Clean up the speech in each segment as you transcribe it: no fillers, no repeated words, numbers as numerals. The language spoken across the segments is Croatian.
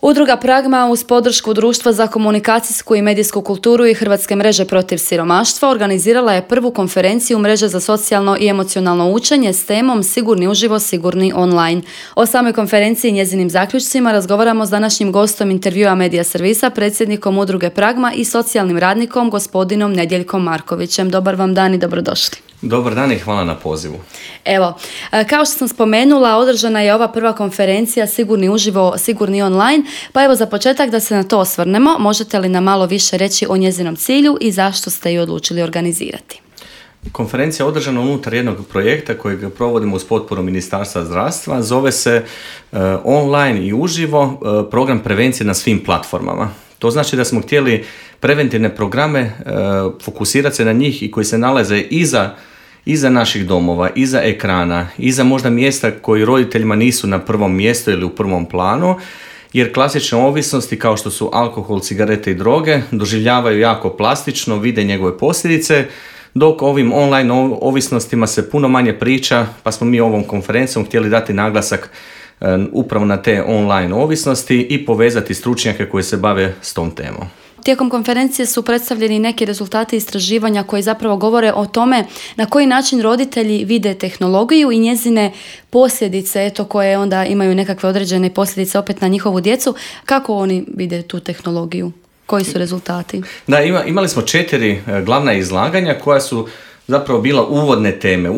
Udruga Pragma uz podršku Društva za komunikacijsku i medijsku kulturu i Hrvatske mreže protiv siromaštva organizirala je prvu konferenciju mreže za socijalno i emocionalno učenje s temom Sigurni uživo, sigurni online. O samoj konferenciji i njezinim zaključcima razgovaramo s današnjim gostom intervjua Medija servisa, predsjednikom Udruge Pragma i socijalnim radnikom gospodinom Nedjeljkom Markovićem. Dobar vam dan i dobrodošli. Dobar dan i hvala na pozivu. Evo, kao što sam spomenula, održana je ova prva konferencija Sigurni uživo, sigurni online, pa evo za početak da se na to osvrnemo, možete li nam malo više reći o njezinom cilju i zašto ste ju odlučili organizirati? Konferencija je održana unutar jednog projekta kojeg provodimo uz potporu Ministarstva zdravstva, zove se online i uživo program prevencije na svim platformama. To znači da smo htjeli preventivne programe fokusirati se na njih i koji se nalaze iza naših domova, iza ekrana, iza možda mjesta koji roditeljima nisu na prvom mjestu ili u prvom planu, jer klasične ovisnosti kao što su alkohol, cigarete i droge doživljavaju jako plastično, vide njegove posljedice, dok ovim online ovisnostima se puno manje priča, pa smo mi ovom konferencijom htjeli dati naglasak upravo na te online ovisnosti i povezati stručnjake koji se bave s tom temom. Tijekom konferencije su predstavljeni neki rezultati istraživanja koji zapravo govore o tome na koji način roditelji vide tehnologiju i njezine posljedice, koje onda imaju nekakve određene posljedice opet na njihovu djecu. Kako oni vide tu tehnologiju? Koji su rezultati? Da, imali smo 4 glavna izlaganja koja su zapravo bila uvodne teme,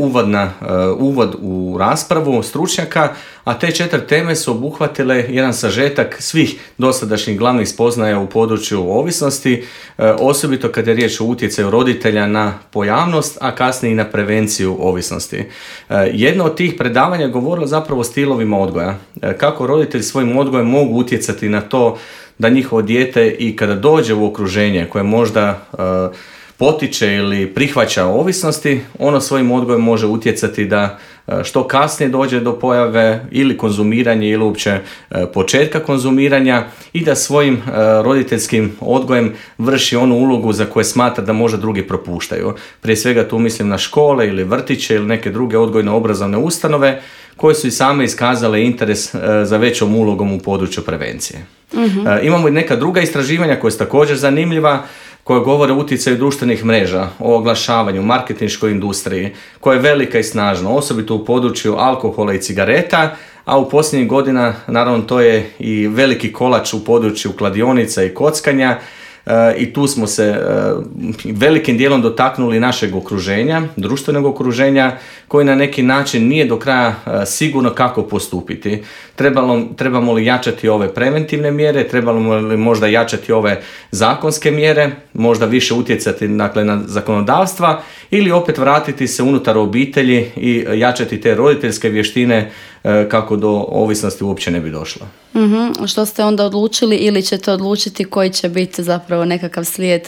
uvod u raspravu stručnjaka, a te 4 teme su obuhvatile jedan sažetak svih dosadašnjih glavnih spoznaja u području ovisnosti, osobito kad je riječ o utjecaju roditelja na pojavnost, a kasnije i na prevenciju ovisnosti. Jedno od tih predavanja govorilo zapravo o stilovima odgoja, kako roditelji svojim odgojem mogu utjecati na to da njihovo dijete i kada dođe u okruženje koje možda potiče ili prihvaća ovisnosti, ono svojim odgojem može utjecati da što kasnije dođe do pojave ili konzumiranja ili uopće početka konzumiranja i da svojim roditeljskim odgojem vrši onu ulogu za koje smatra da možda drugi propuštaju. Prije svega tu mislim na škole ili vrtiće ili neke druge odgojno-obrazovne ustanove koje su i same iskazale interes za većom ulogom u području prevencije. Uh-huh. Imamo i neka druga istraživanja koja su također zanimljiva, koje govore o utjecaju društvenih mreža, o oglašavanju, marketinškoj industriji, koja je velika i snažna, osobito u području alkohola i cigareta, a u posljednjih godina, naravno, to je i veliki kolač u području kladionica i kockanja, i tu smo se velikim dijelom dotaknuli našeg okruženja, društvenog okruženja, koji na neki način nije do kraja sigurno kako postupiti. Trebamo li jačati ove preventivne mjere, trebamo li možda jačati ove zakonske mjere, možda više utjecati na zakonodavstva ili opet vratiti se unutar obitelji i jačati te roditeljske vještine kako do ovisnosti uopće ne bi došlo. Mm-hmm. Što ste onda odlučili ili ćete odlučiti koji će biti zapravo nekakav slijed?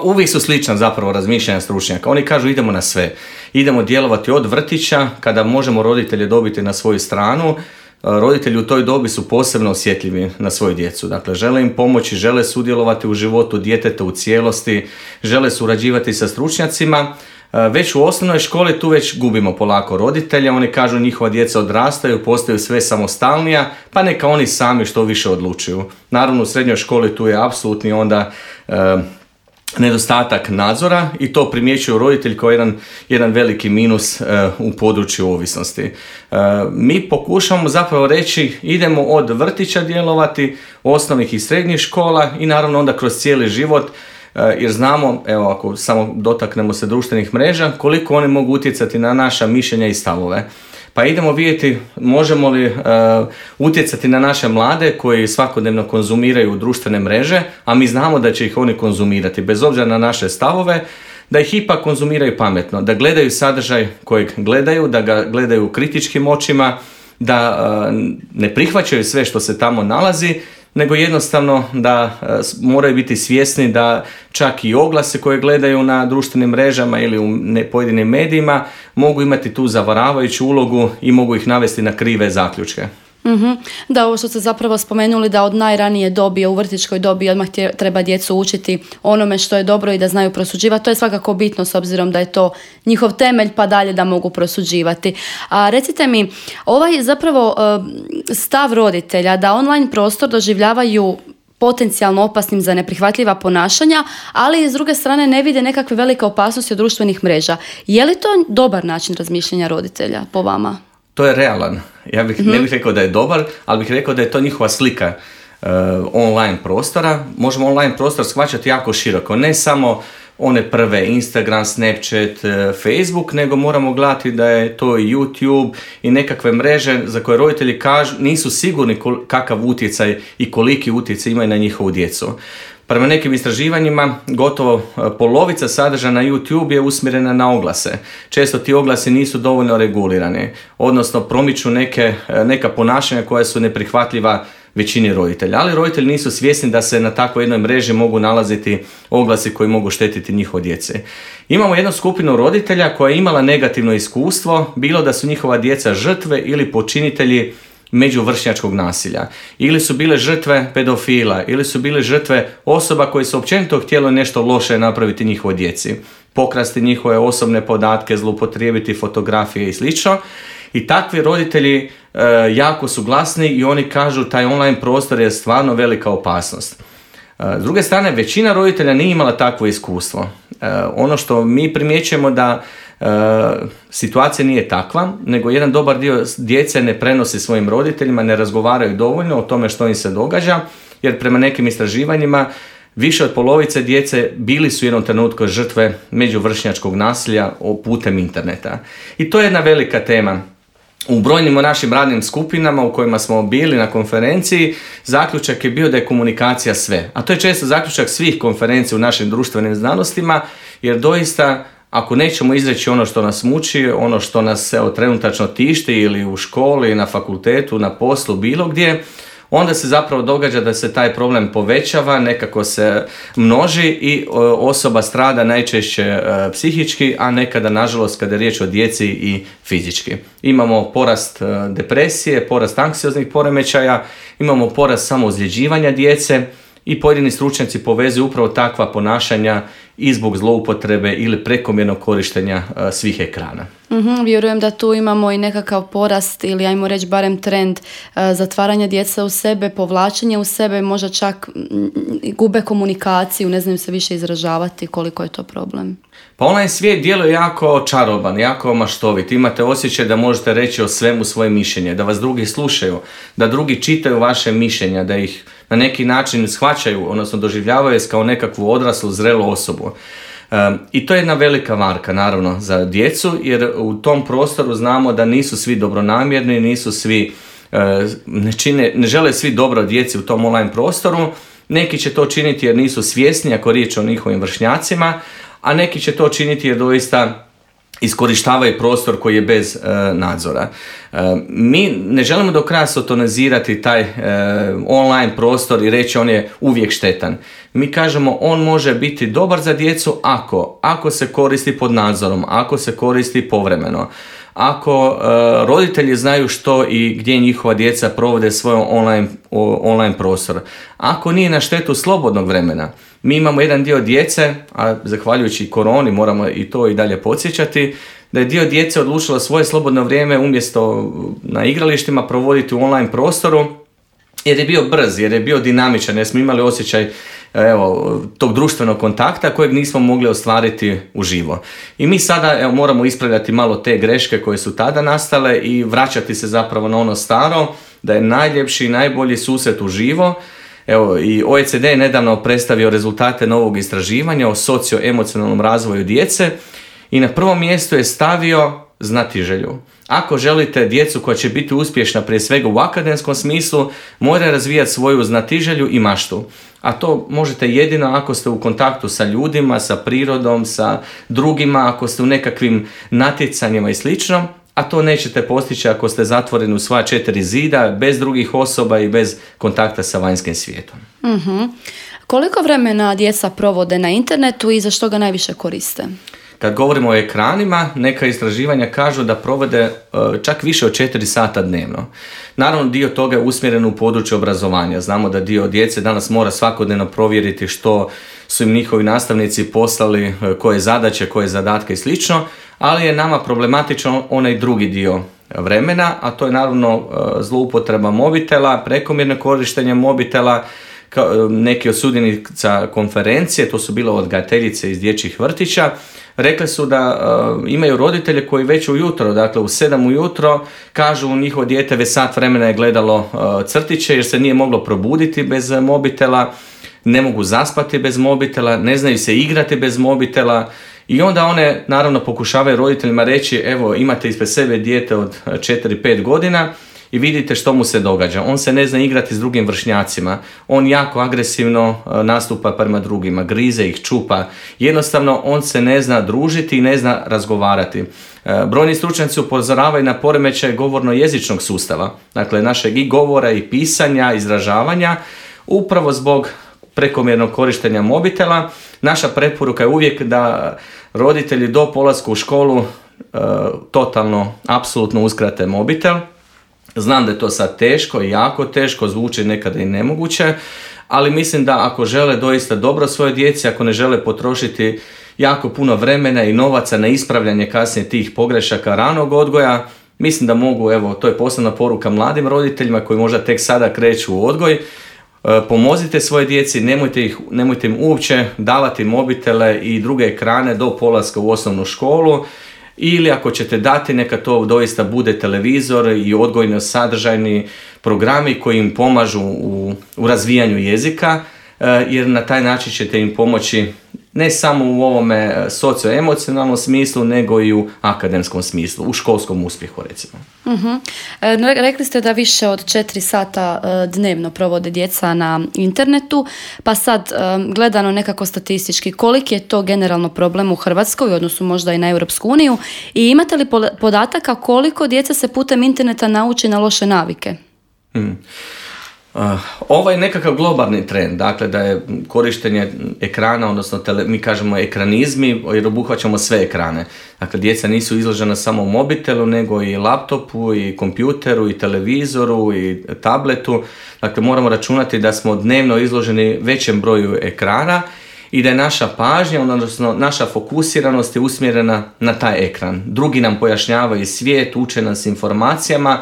Uvijek su slična zapravo razmišljanja stručnjaka. Oni kažu idemo na sve. Idemo djelovati od vrtića kada možemo roditelje dobiti na svoju stranu. Roditelji u toj dobi su posebno osjetljivi na svoju djecu. Dakle, žele im pomoći, žele sudjelovati u životu djeteta u cijelosti, žele surađivati sa stručnjacima. Već u osnovnoj školi tu već gubimo polako roditelja, oni kažu njihova djeca odrastaju, postaju sve samostalnija, pa neka oni sami što više odlučuju. Naravno u srednjoj školi tu je apsolutni onda nedostatak nadzora i to primjećuju roditelji kao jedan veliki minus u području ovisnosti. Mi pokušamo zapravo reći idemo od vrtića djelovati, osnovnih i srednjih škola i naravno onda kroz cijeli život, jer znamo, evo ako samo dotaknemo se društvenih mreža, koliko one mogu utjecati na naša mišljenja i stavove. Pa idemo vidjeti možemo li utjecati na naše mlade koji svakodnevno konzumiraju društvene mreže, a mi znamo da će ih oni konzumirati bez obzira na naše stavove, da ih ipak konzumiraju pametno, da gledaju sadržaj kojeg gledaju, da ga gledaju kritičkim očima, da ne prihvaćaju sve što se tamo nalazi, nego jednostavno da moraju biti svjesni da čak i oglase koje gledaju na društvenim mrežama ili u pojedinim medijima mogu imati tu zavaravajuću ulogu i mogu ih navesti na krive zaključke. Da, ovo što ste zapravo spomenuli da od najranije dobi, u vrtićkoj dobi odmah treba djecu učiti onome što je dobro i da znaju prosuđivati. To je svakako bitno s obzirom da je to njihov temelj pa dalje da mogu prosuđivati. A recite mi, ovaj zapravo stav roditelja da online prostor doživljavaju potencijalno opasnim za neprihvatljiva ponašanja, ali s druge strane ne vide nekakve velike opasnosti od društvenih mreža. Je li to dobar način razmišljanja roditelja po vama? To je realan. Ja ne bih rekao da je dobar, ali bih rekao da je to njihova slika online prostora. Možemo online prostor shvaćati jako široko. Ne samo one prve Instagram, Snapchat, Facebook, nego moramo gledati da je to i YouTube i nekakve mreže za koje roditelji kažu nisu sigurni kakav utjecaj i koliki utjecaj imaju na njihovu djecu. Prema nekim istraživanjima, gotovo polovica sadržaja na YouTube je usmjerena na oglase. Često ti oglasi nisu dovoljno regulirani, odnosno promiču neka ponašanja koja su neprihvatljiva većini roditelja. Ali roditelji nisu svjesni da se na takvoj jednoj mreži mogu nalaziti oglasi koji mogu štetiti njihovoj djeci. Imamo jednu skupinu roditelja koja je imala negativno iskustvo, bilo da su njihova djeca žrtve ili počinitelji međuvršnjačkog nasilja. Ili su bile žrtve pedofila, ili su bile žrtve osoba koje su općenito htjele nešto loše napraviti njihovoj djeci. Pokrasti njihove osobne podatke, zloupotrijebiti fotografije i slično. I takvi roditelji jako su glasni i oni kažu taj online prostor je stvarno velika opasnost. S druge strane, većina roditelja nije imala takvo iskustvo. Ono što mi primjećujemo da situacija nije takva, nego jedan dobar dio djece ne prenosi svojim roditeljima, ne razgovaraju dovoljno o tome što im se događa, jer prema nekim istraživanjima više od polovice djece bili su u jednom trenutku žrtve međuvršnjačkog nasilja putem interneta. I to je jedna velika tema. U brojnim našim radnim skupinama u kojima smo bili na konferenciji, zaključak je bio da je komunikacija sve. A to je često zaključak svih konferencija u našim društvenim znanostima, jer doista ako nećemo izreći ono što nas muči, ono što nas trenutačno tišti ili u školi, na fakultetu, na poslu, bilo gdje, onda se zapravo događa da se taj problem povećava, nekako se množi i osoba strada najčešće psihički, a nekada, nažalost, kada je riječ o djeci i fizički. Imamo porast depresije, porast anksioznih poremećaja, imamo porast samoozljeđivanja djece i pojedini stručnjaci povezuju upravo takva ponašanja i zbog zloupotrebe ili prekomjernog korištenja svih ekrana. Vjerujem da tu imamo i nekakav porast ili ajmo reći barem trend zatvaranja djece u sebe, povlačenje u sebe, možda čak gube komunikaciju, ne znaju se više izražavati, koliko je to problem. Pa online svijet djeluje jako čaroban, jako maštovit. Imate osjećaj da možete reći o svemu svoje mišljenje, da vas drugi slušaju, da drugi čitaju vaše mišljenja, da ih na neki način shvaćaju, odnosno doživljavaju kao nekakvu odraslu, zrelu osobu. I to je jedna velika varka, naravno, za djecu, jer u tom prostoru znamo da nisu svi dobronamjerni, nisu svi, ne žele svi dobro djeci u tom online prostoru. Neki će to činiti jer nisu svjesni ako riječ o njihovim vršnjacima, a neki će to činiti jer doista iskorištavaju prostor koji je bez nadzora. Mi ne želimo do kraja sotonizirati taj online prostor i reći on je uvijek štetan. Mi kažemo on može biti dobar za djecu ako se koristi pod nadzorom, ako se koristi povremeno, ako roditelji znaju što i gdje njihova djeca provode svoj online prostor, ako nije na štetu slobodnog vremena. Mi imamo jedan dio djece, a zahvaljujući koroni moramo i to i dalje podsjećati, da je dio djece odlučilo svoje slobodno vrijeme umjesto na igralištima provoditi u online prostoru, jer je bio brz, jer je bio dinamičan, jer smo imali osjećaj tog društvenog kontakta kojeg nismo mogli ostvariti uživo. I mi sada moramo ispravljati malo te greške koje su tada nastale i vraćati se zapravo na ono staro, da je najljepši i najbolji susret uživo. I OECD je nedavno predstavio rezultate novog istraživanja o socioemocionalnom razvoju djece i na prvom mjestu je stavio znatiželju. Ako želite djecu koja će biti uspješna prije svega u akademskom smislu, mora razvijati svoju znatiželju i maštu. A to možete jedino ako ste u kontaktu sa ljudima, sa prirodom, sa drugima, ako ste u nekakvim natjecanjima i slično, a to nećete postići ako ste zatvoreni u svoja 4 zida, bez drugih osoba i bez kontakta sa vanjskim svijetom. Koliko vremena djeca provode na internetu i za što ga najviše koriste? Kad govorimo o ekranima, neka istraživanja kažu da provode čak više od 4 sata dnevno. Naravno, dio toga je usmjeren u područje obrazovanja. Znamo da dio djece danas mora svakodnevno provjeriti što su im njihovi nastavnici poslali, koje zadaće, koje zadatke i slično, ali je nama problematičan onaj drugi dio vremena, a to je naravno zloupotreba mobitela, prekomjerno korištenje mobitela. Neki od sudionica konferencije, to su bile odgajateljice iz dječjih vrtića, rekli su da imaju roditelje koji već ujutro, dakle u 7 ujutro, kažu njihovo dijete već sat vremena je gledalo crtiće jer se nije moglo probuditi bez mobitela, ne mogu zaspati bez mobitela, ne znaju se igrati bez mobitela i onda one naravno pokušavaju roditeljima reći evo imate ispred sebe dijete od 4-5 godina i vidite što mu se događa. On se ne zna igrati s drugim vršnjacima, on jako agresivno nastupa prema drugima, grize ih, čupa, jednostavno on se ne zna družiti i ne zna razgovarati. Brojni stručnjaci upozoravaju na poremećaj govorno-jezičnog sustava, dakle našeg i govora i pisanja, izražavanja, upravo zbog prekomjernog korištenja mobitela. Naša preporuka je uvijek da roditelji do polaska u školu totalno, apsolutno uskrate mobitel. Znam da je to sad teško i jako teško, zvuči nekada i nemoguće, ali mislim da ako žele doista dobro svoje djeci, ako ne žele potrošiti jako puno vremena i novaca na ispravljanje kasnije tih pogrešaka ranog odgoja, mislim da mogu, evo, to je posebna poruka mladim roditeljima koji možda tek sada kreću u odgoj, pomozite svoje djeci, nemojte im uopće davati mobitele i druge ekrane do polaska u osnovnu školu, ili ako ćete dati, neka to doista bude televizor i odgojno sadržajni programi koji im pomažu u razvijanju jezika, jer na taj način ćete im pomoći ne samo u ovome socioemocionalnom smislu, nego i u akademskom smislu, u školskom uspjehu recimo. Uh-huh. Rekli ste da više od 4 sata dnevno provode djeca na internetu, pa sad gledano nekako statistički, koliki je to generalno problem u Hrvatskoj, u odnosu možda i na Europsku uniju, i imate li podataka koliko djeca se putem interneta nauči na loše navike? Ovo je nekakav globalni trend, dakle da je korištenje ekrana, odnosno mi kažemo ekranizmi, jer obuhvaćamo sve ekrane. Dakle, djeca nisu izložena samo mobitelu, nego i laptopu, i kompjuteru, i televizoru, i tabletu. Dakle, moramo računati da smo dnevno izloženi većem broju ekrana i da je naša pažnja, odnosno naša fokusiranost je usmjerena na taj ekran. Drugi nam pojašnjavaju svijet, uče nas informacijama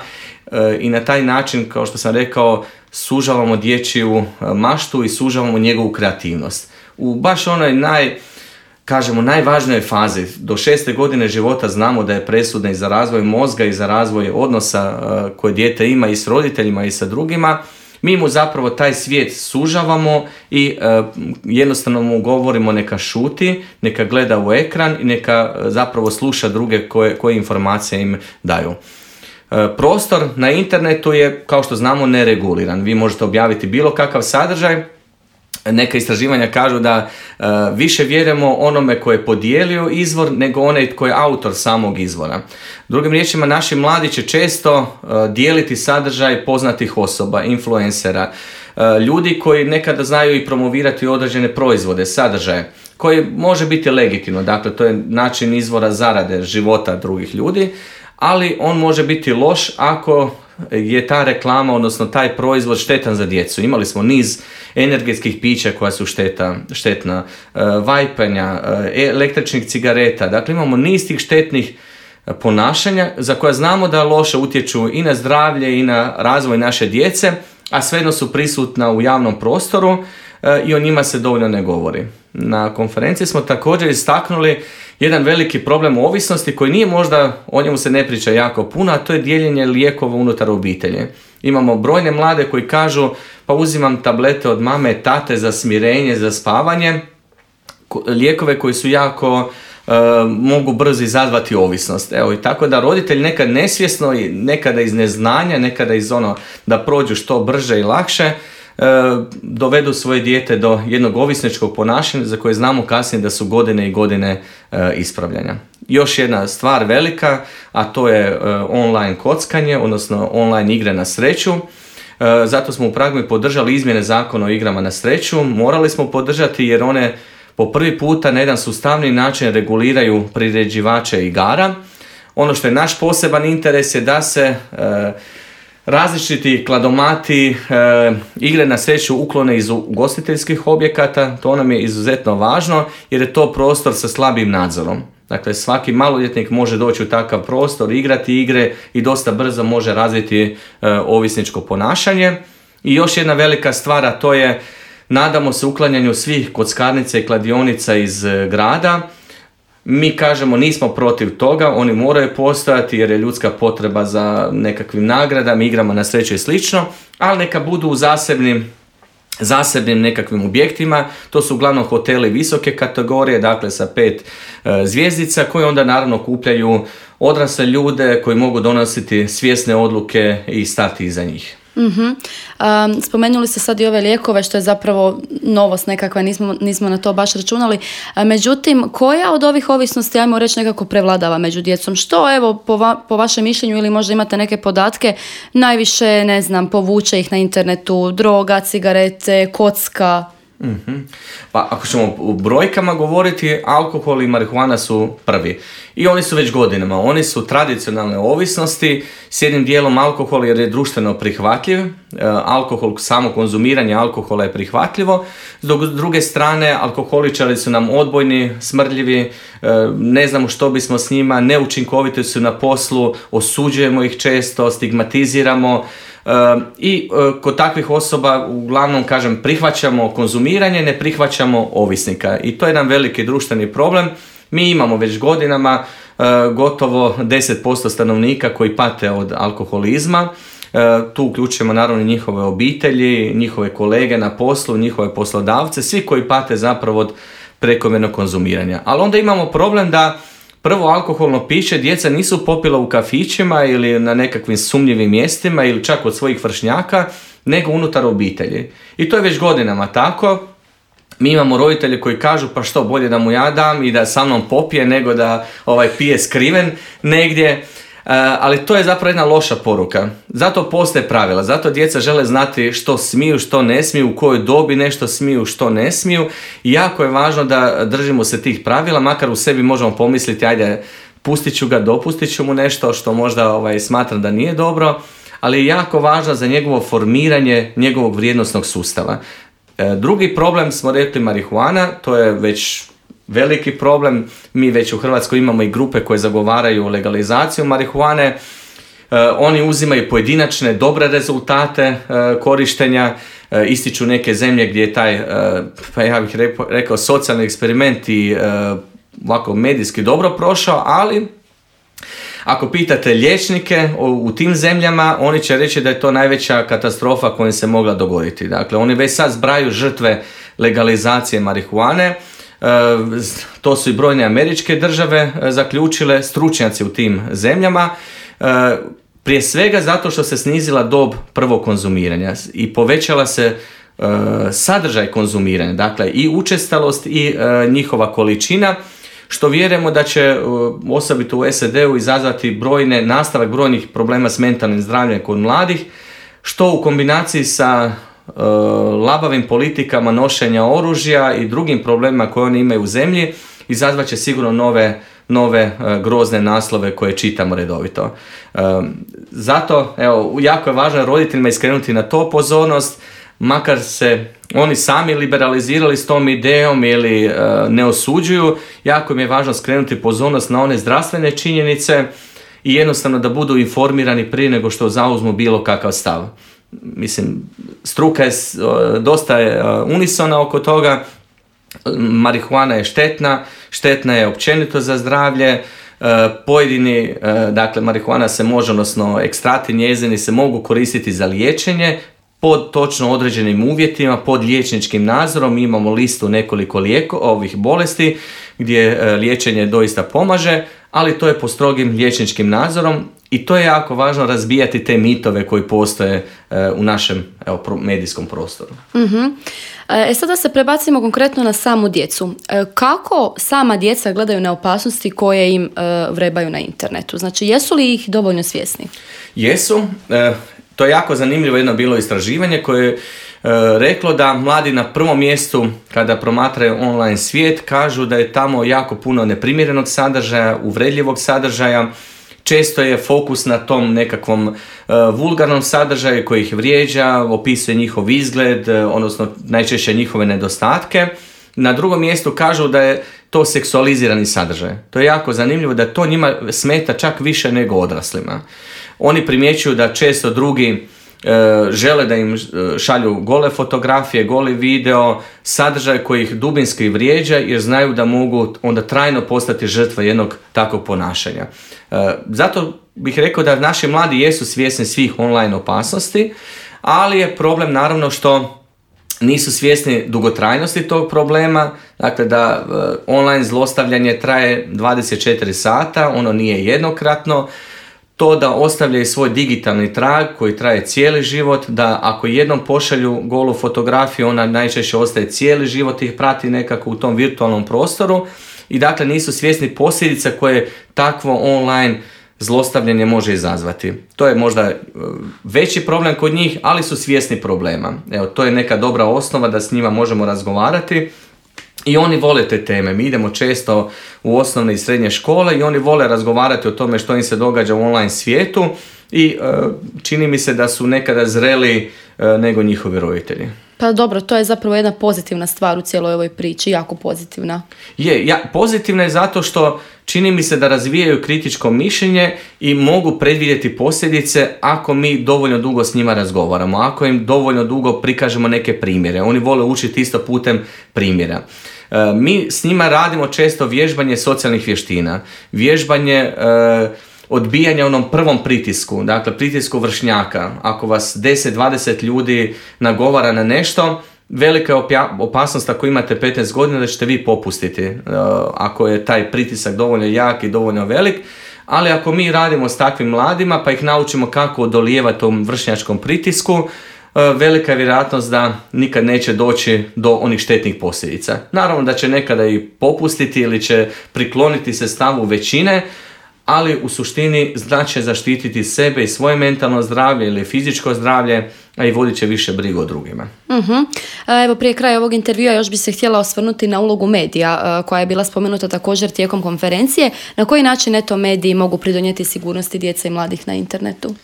i na taj način, kao što sam rekao, sužavamo dječju maštu i sužavamo njegovu kreativnost. U baš onoj najvažnijoj fazi, do 6. godine života znamo da je presudna i za razvoj mozga i za razvoj odnosa koje dijete ima i s roditeljima i sa drugima, mi mu zapravo taj svijet sužavamo i jednostavno mu govorimo neka šuti, neka gleda u ekran i neka zapravo sluša druge koje informacije im daju. Prostor na internetu je, kao što znamo, nereguliran. Vi možete objaviti bilo kakav sadržaj. Neka istraživanja kažu da više vjerujemo onome koji je podijelio izvor nego onaj koji je autor samog izvora. Drugim riječima, naši mladi će često dijeliti sadržaj poznatih osoba, influencera, ljudi koji nekada znaju i promovirati određene proizvode, sadržaje, koji može biti legitimno. Dakle, to je način izvora zarade života drugih ljudi, ali on može biti loš ako je ta reklama, odnosno taj proizvod štetan za djecu. Imali smo niz energetskih pića koja su štetna, vajpanja, električnih cigareta. Dakle, imamo niz tih štetnih ponašanja za koja znamo da loše utječu i na zdravlje i na razvoj naše djece, a svejedno su prisutna u javnom prostoru i o njima se dovoljno ne govori. Na konferenciji smo također istaknuli jedan veliki problem ovisnosti koji nije možda, o njemu se ne priča jako puno, a to je dijeljenje lijekova unutar obitelji. Imamo brojne mlade koji kažu pa uzimam tablete od mame, tate za smirenje, za spavanje, lijekove koji su jako mogu brzo izazvati ovisnost. Evo, i tako da roditelj nekad nesvjesno i nekada iz neznanja, nekada iz da prođu što brže i lakše, dovedu svoje dijete do jednog ovisničkog ponašanja za koje znamo kasnije da su godine i godine ispravljanja. Još jedna stvar velika, a to je online kockanje, odnosno online igre na sreću. Zato smo u Pragmi podržali izmjene zakona o igrama na sreću. Morali smo podržati jer one po prvi puta na jedan sustavni način reguliraju priređivače igara. Ono što je naš poseban interes je da se različiti kladomati, igre na sreću uklone iz ugostiteljskih objekata. To nam je izuzetno važno jer je to prostor sa slabim nadzorom. Dakle, svaki maloljetnik može doći u takav prostor, igrati igre i dosta brzo može razviti ovisničko ponašanje. I još jedna velika stvar, a to je, nadamo se uklanjanju svih kockarnica i kladionica iz grada. Mi kažemo nismo protiv toga, oni moraju postojati jer je ljudska potreba za nekakvim nagradama, igrama na sreću i slično, ali neka budu u zasebnim nekakvim objektima. To su uglavnom hoteli visoke kategorije, dakle sa 5 zvjezdica, koji onda naravno okupljaju odrasle ljude koji mogu donositi svjesne odluke i stati iza njih. Spomenuli ste sad i ove lijekove, što je zapravo novost nekakva, nismo na to baš računali. Međutim, koja od ovih ovisnosti, ajmo reći, nekako prevladava među djecom? Što, evo, po vašem mišljenju, ili možda imate neke podatke, najviše, ne znam, povuče ih na internetu? Droga, cigarete, kocka? Pa ako ćemo u brojkama govoriti, alkohol i marihuana su prvi. I oni su već godinama. Oni su tradicionalne ovisnosti, s jednim dijelom alkohol jer je društveno prihvatljiv. Alkohol, samo konzumiranje alkohola je prihvatljivo. S druge strane, alkoholičari su nam odbojni, smrdljivi, ne znamo što bismo s njima, neučinkoviti su na poslu, osuđujemo ih često, stigmatiziramo. I kod takvih osoba uglavnom, kažem, prihvaćamo konzumiranje, ne prihvaćamo ovisnika. I to je jedan veliki društveni problem. Mi imamo već godinama gotovo 10% stanovnika koji pate od alkoholizma. Tu uključujemo naravno njihove obitelji, njihove kolege na poslu, njihove poslodavce, svi koji pate zapravo od prekomjernog konzumiranja. Ali onda imamo problem da prvo alkoholno piće djeca nisu popila u kafićima ili na nekakvim sumnjivim mjestima ili čak od svojih vršnjaka, nego unutar obitelji. I to je već godinama tako. Mi imamo roditelje koji kažu pa što, bolje da mu ja dam i da sa mnom popije nego da pije skriven negdje. Ali to je zapravo jedna loša poruka. Zato postoje pravila, zato djeca žele znati što smiju, što ne smiju, u kojoj dobi nešto smiju, što ne smiju. I jako je važno da držimo se tih pravila, makar u sebi možemo pomisliti ajde, dopustit ću mu nešto što možda smatram da nije dobro, ali je jako važno za njegovo formiranje njegovog vrijednosnog sustava. Drugi problem smo rekli marihuana, to je već veliki problem. Mi već u Hrvatskoj imamo i grupe koje zagovaraju legalizaciju marihuane. Oni uzimaju pojedinačne dobre rezultate korištenja, ističu neke zemlje gdje je taj, pa ja bih rekao, socijalni eksperiment i ovako medijski dobro prošao, ali ako pitate liječnike u tim zemljama, oni će reći da je to najveća katastrofa koja se mogla dogoditi. Dakle, oni već sad zbrajaju žrtve legalizacije marihuane. To su i brojne američke države zaključile, stručnjaci u tim zemljama. Prije svega zato što se snizila dob prvog konzumiranja i povećala se sadržaj konzumiranja, dakle i učestalost i njihova količina, što vjerujemo da će osobito u SAD-u izazvati nastavak brojnih problema s mentalnim zdravljem kod mladih, što u kombinaciji sa labavim politikama nošenja oružja i drugim problemima koje oni imaju u zemlji izazvat će sigurno nove grozne naslove koje čitamo redovito. Zato jako je važno roditeljima iskrenuti na to pozornost, makar se oni sami liberalizirali s tom idejom ili ne osuđuju, jako im je važno skrenuti pozornost na one zdravstvene činjenice i jednostavno da budu informirani prije nego što zauzmu bilo kakav stav. Mislim, struka je dosta unisona oko toga. Marihuana je štetna je općenito za zdravlje. Pojedini, dakle, marihuana se može, odnosno ekstrakti njezini se mogu koristiti za liječenje pod točno određenim uvjetima, pod liječničkim nadzorom. Mi imamo listu nekoliko ovih bolesti gdje liječenje doista pomaže, ali to je po strogim liječničkim nadzorom i to je jako važno razbijati te mitove koji postoje u našem medijskom prostoru. Mm-hmm. Sada se prebacimo konkretno na samu djecu. Kako sama djeca gledaju na opasnosti koje im vrebaju na internetu? Znači, jesu li ih dovoljno svjesni? Jesu. To je jako zanimljivo jedno bilo istraživanje koje reklo da mladi na prvom mjestu kada promatraju online svijet kažu da je tamo jako puno neprimjerenog sadržaja, uvredljivog sadržaja. Često je fokus na tom nekakvom vulgarnom sadržaju koji ih vrijeđa, opisuje njihov izgled, odnosno najčešće njihove nedostatke. Na drugom mjestu kažu da je to seksualizirani sadržaj. To je jako zanimljivo da to njima smeta čak više nego odraslima. Oni primjećuju da često drugi žele da im šalju gole fotografije, goli video, sadržaj koji ih dubinski vrijeđa jer znaju da mogu onda trajno postati žrtva jednog takvog ponašanja. Zato bih rekao da naši mladi jesu svjesni svih online opasnosti, ali je problem naravno što nisu svjesni dugotrajnosti tog problema, dakle da online zlostavljanje traje 24 sata, ono nije jednokratno, to da ostavljaju svoj digitalni trag koji traje cijeli život, da ako jednom pošalju golu fotografiju, ona najčešće ostaje cijeli život, ih prati nekako u tom virtualnom prostoru i dakle nisu svjesni posljedica koje takvo online zlostavljanje može izazvati. To je možda veći problem kod njih, ali su svjesni problema. Evo, to je neka dobra osnova da s njima možemo razgovarati. I oni vole te teme. Mi idemo često u osnovne i srednje škole i oni vole razgovarati o tome što im se događa u online svijetu i čini mi se da su nekada zreli nego njihovi roditelji. Pa dobro, to je zapravo jedna pozitivna stvar u cijeloj ovoj priči, jako pozitivna. Pozitivna je zato što čini mi se da razvijaju kritičko mišljenje i mogu predvidjeti posljedice ako mi dovoljno dugo s njima razgovaramo, ako im dovoljno dugo prikažemo neke primjere. Oni vole učiti isto putem primjera. Mi s njima radimo često vježbanje socijalnih vještina, vježbanje odbijanja onom prvom pritisku, dakle pritisku vršnjaka. Ako vas 10-20 ljudi nagovara na nešto, velika je opasnost ako imate 15 godina da ćete vi popustiti ako je taj pritisak dovoljno jak i dovoljno velik, ali ako mi radimo s takvim mladima pa ih naučimo kako odolijevati tom vršnjačkom pritisku, velika je vjerojatnost da nikad neće doći do onih štetnih posljedica. Naravno da će nekada i popustiti ili će prikloniti se stavu većine, ali u suštini znači zaštititi sebe i svoje mentalno zdravlje ili fizičko zdravlje, a i vodit će više brigu o drugima. Evo, prije kraja ovog intervjua još bi se htjela osvrnuti na ulogu medija koja je bila spomenuta također tijekom konferencije. Na koji način mediji mogu pridonijeti sigurnosti djece i mladih na internetu?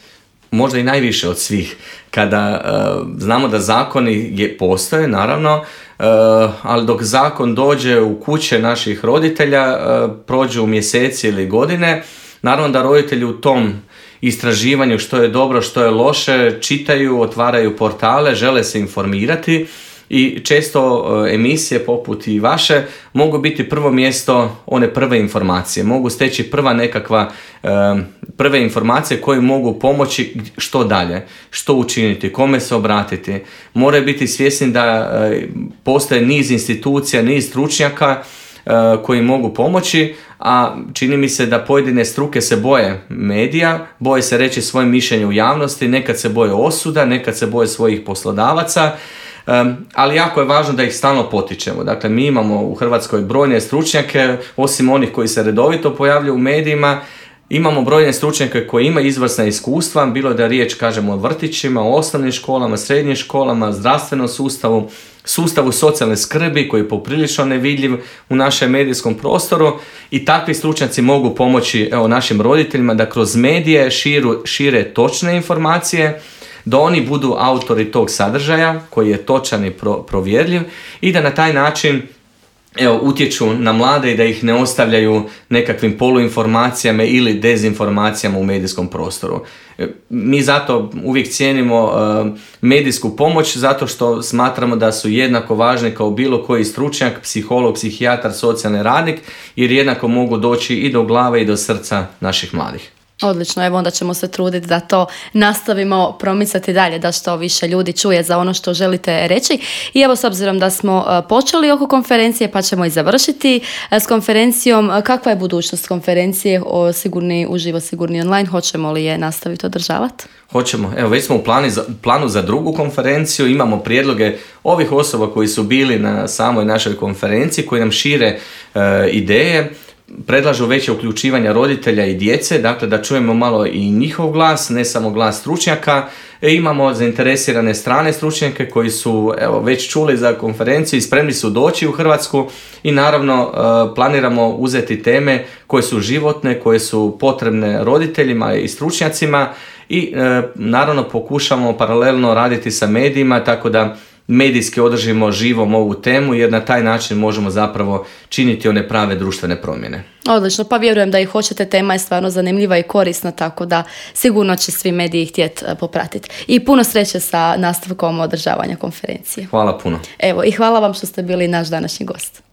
Možda i najviše od svih. Kada znamo da zakoni postoje, naravno, ali dok zakon dođe u kuće naših roditelja, prođu mjeseci ili godine, naravno da roditelji u tom istraživanju što je dobro, što je loše, čitaju, otvaraju portale, žele se informirati i često emisije poput i vaše mogu biti prvo mjesto one prve informacije, mogu steći prve informacije koje mogu pomoći što dalje, što učiniti, kome se obratiti. Moraju biti svjesni da postoje niz institucija, niz stručnjaka koji mogu pomoći, a čini mi se da pojedine struke se boje medija, boje se reći svoje mišljenje u javnosti, nekad se boje osuda, nekad se boje svojih poslodavaca, ali jako je važno da ih stalno potičemo. Dakle, mi imamo u Hrvatskoj brojne stručnjake, osim onih koji se redovito pojavljuju u medijima, imamo brojne stručnjake koji imaju izvrsna iskustva, bilo da riječ kažemo o vrtićima, o osnovnim školama, srednjim školama, zdravstvenom sustavu socijalne skrbi koji je poprilično nevidljiv u našem medijskom prostoru i takvi stručnjaci mogu pomoći našim roditeljima da kroz medije šire točne informacije, da oni budu autori tog sadržaja koji je točan i provjerljiv i da na taj način utječu na mlade i da ih ne ostavljaju nekakvim poluinformacijama ili dezinformacijama u medijskom prostoru. Mi zato uvijek cijenimo medijsku pomoć zato što smatramo da su jednako važni kao bilo koji stručnjak, psiholog, psihijatar, socijalni radnik, jer jednako mogu doći i do glave i do srca naših mladih. Odlično, evo onda ćemo se truditi da to nastavimo promicati dalje, da što više ljudi čuje za ono što želite reći. I evo, s obzirom da smo počeli oko konferencije, pa ćemo i završiti s konferencijom. Kakva je budućnost konferencije o sigurni uživo, sigurni online? Hoćemo li je nastaviti održavati? Hoćemo. Evo, već smo u planu za drugu konferenciju. Imamo prijedloge ovih osoba koji su bili na samoj našoj konferenciji, koji nam šire ideje. Predlažu veće uključivanja roditelja i djece, dakle da čujemo malo i njihov glas, ne samo glas stručnjaka. Imamo zainteresirane strane stručnjake koji su već čuli za konferenciju i spremni su doći u Hrvatsku i naravno planiramo uzeti teme koje su životne, koje su potrebne roditeljima i stručnjacima i naravno pokušamo paralelno raditi sa medijima tako da medijski održimo živom ovu temu jer na taj način možemo zapravo činiti one prave društvene promjene. Odlično, pa vjerujem da i hoćete, tema je stvarno zanimljiva i korisna, tako da sigurno će svi mediji htjeti popratiti. I puno sreće sa nastavkom održavanja konferencije. Hvala puno. Evo, i hvala vam što ste bili naš današnji gost.